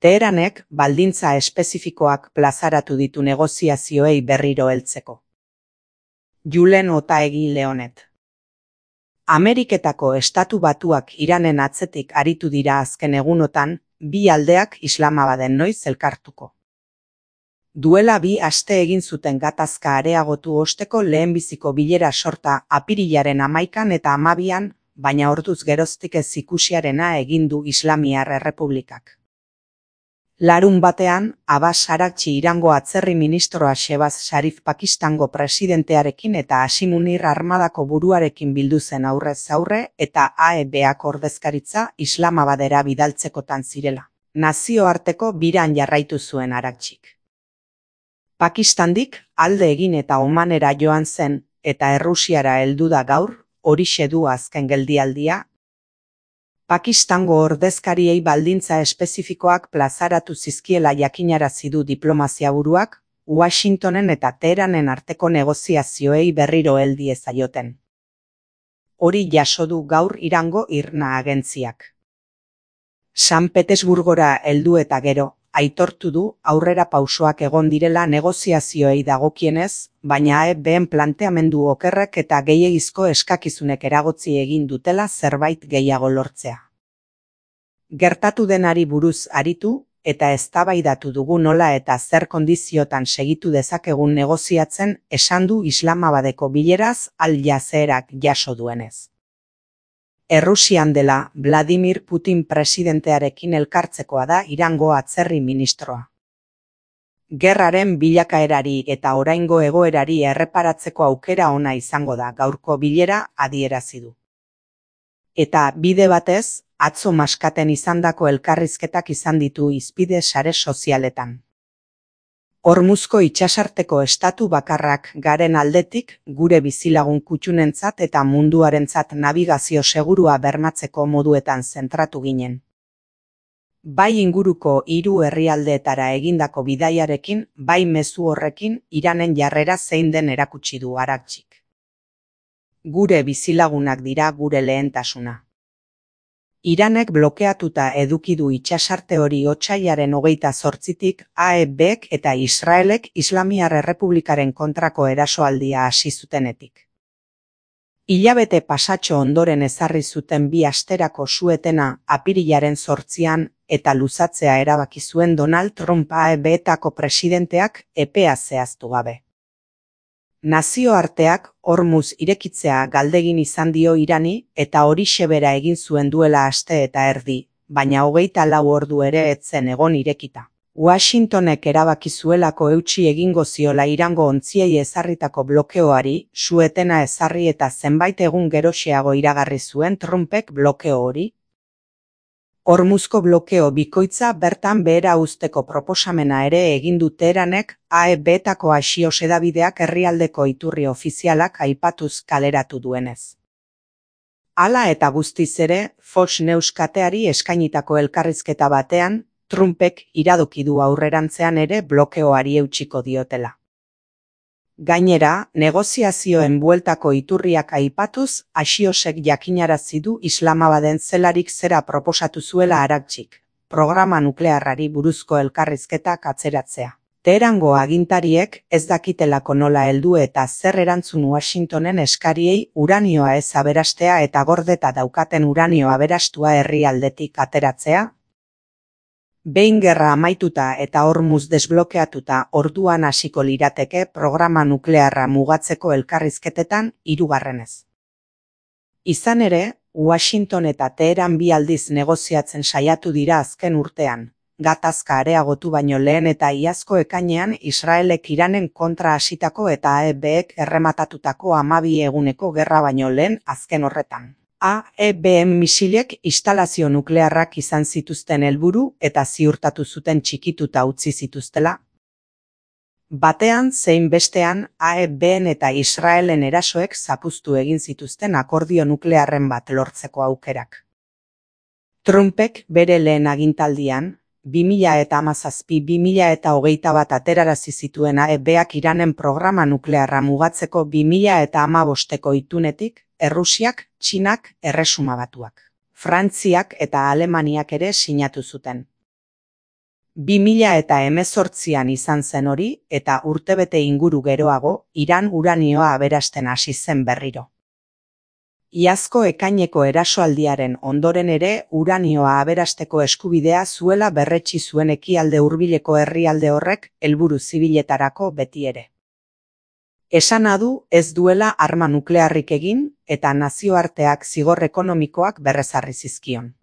Teheranek baldintza espezifikoak plazaratu ditu negoziazioei berriro heltzeko. Julen Otaegi Leonet. Ameriketako Estatu Batuak Iranen atzetik aritu dira azken egunotan, bi aldeak Islamabaden noiz elkartuko. Duela 2 aste egin zuten gatazka areagotu osteko lehenbiziko bilera sorta apirilaren 11 eta 12, baina orduz geroztik ez ikusiarena egin du Islamiar Errepublikak. Larunbatean, Abbas Araghchi Irango atzerri ministroa Shehbaz Sharif Pakistango presidentearekin eta Hashim Munir armadako buruarekin bildu zen aurrez aurre eta AEBak ordezkaritza Islamabadera bidaltzekotan zirela. Nazioarteko biran jarraitu zuen Araghchik. Pakistandik alde egin eta Omanera joan zen eta Errusiara heldu da gaur, horixe du azken geldialdia. Pakistango ordezkariei baldintza espezifikoak plazaratu zizkiela jakinarazi du diplomaziaburuak, Washingtonen eta Teheranen arteko negoziazioei berriro heldi ezaioten. Hori jaso du gaur Irango IRNA agentziak. San Petersburgora heldu eta gero, aitortu du aurrera pausoak egon direla negoziazioei dagokienez, baina AEBen planteamendu okerrek eta gehiegizko eskakizunek eragotzi egin dutela zerbait gehiago lortzea. Gertatu denari buruz aritu eta eztabaidatu dugu nola eta zer kondiziotan segitu dezakegun negoziatzen esan du Islamabadeko bileraz Al Jazeerak jaso duenez. Errusian dela Vladimir Putin presidentearekin elkartzekoa da Irango atzerri ministroa. Gerraren bilakaerari eta oraingo egoerari erreparatzeko aukera ona izango da gaurko bilera adierazi du. Eta bide batez, atzo Maskaten izandako elkarrizketak izan ditu hizpide sare sozialetan. Hormuzko itsasarteko estatu bakarrak garen aldetik, gure bizilagun kutxunentzat eta munduarentzat nabigazio segurua bermatzeko moduetan zentratu ginen. Bai inguruko 3 herrialdeetara egindako bidaiarekin, bai mezu horrekin Iranen jarrera zein den erakutsi du Araghchik. Gure bizilagunak dira gure lehentasuna. Iranek blokeatuta eduki du itsasarte hori otsailaren 28tik AEBek eta Israelek Islamiar Errepublikaren kontrako erasoaldia hasi zutenetik. Hilabete pasatxo ondoren ezarri zuten 2 asterako su-etena apirilaren 8an eta luzatzea erabaki zuen Donald Trump AEBetako presidenteak epea zehaztu gabe. Nazioarteak Hormuz irekitzea galdegin izan dio Irani eta horixe bera egin zuen duela aste eta erdi, baina 24 ordu ere ez zen egon irekita. Washingtonek erabaki zuelako eutsi egingo ziola Irango ontziei ezarritako blokeoari, su-etena ezarri eta zenbait egun geroxeago iragarri zuen Trumpek blokeo hori. Hormuzko blokeo bikoitza bertan behera uzteko proposamena ere egin du Teheranek AEBetako Axios hedabideak herrialdeko iturri ofizialak aipatuz kaleratu duenez. Hala eta guztiz ere, Fox News kateari eskainitako elkarrizketa batean, Trumpek iradoki du aurrerantzean ere blokeoari eutsiko diotela. Gainera, negoziazioen bueltako iturriak aipatuz, Axiosek jakinarazi du Islamabaden zelarik zera proposatu zuela Araghchik, programa nuklearrari buruzko elkarrizketak atzeratzea. Teherango agintariek ez dakitelako nola heldu eta zer erantzun Washingtonen eskariei uranioa ez aberastea eta gordeta daukaten uranio aberastua herrialdetik ateratzea. Behin gerra amaituta eta Hormuz desblokeatuta orduan hasiko lirateke programa nuklearra mugatzeko elkarrizketetan 3. Izan ere, Washington eta Teheran 2 aldiz negoziatzen saiatu dira azken urtean, gatazka areagotu baino lehen eta iazko ekainean Israelek Iranen kontra hasitako eta AEBek errematatutako 12 eguneko gerra baino lehen azken horretan. AEBen misilek instalazio nuklearrak izan zituzten helburu eta ziurtatu zuten txikituta utzi zituztela. Batean zein bestean AEBen eta Israelen erasoek zapuztu egin zituzten akordio nuklearren bat lortzeko aukerak. Trumpek bere lehen agintaldian, 2017-2021 aterarazi zituen AEBak Iranen programa nuklearra mugatzeko 2015ko itunetik, Errusiak, Txinak, Erresuma Batuak, Frantziak eta Alemaniak ere sinatu zuten. 2018an izan zen hori eta urtebete inguru geroago Iran uranioa aberasten hasi zen berriro. Iazko ekaineko erasoaldiaren ondoren ere uranioa aberasteko eskubidea zuela berretsi zuen ekialde hurbileko herrialde horrek helburu zibiletarako beti ere. Esana du ez duela arma nuklearrik egin eta nazioarteak zigor ekonomikoak berrezarri zizkion.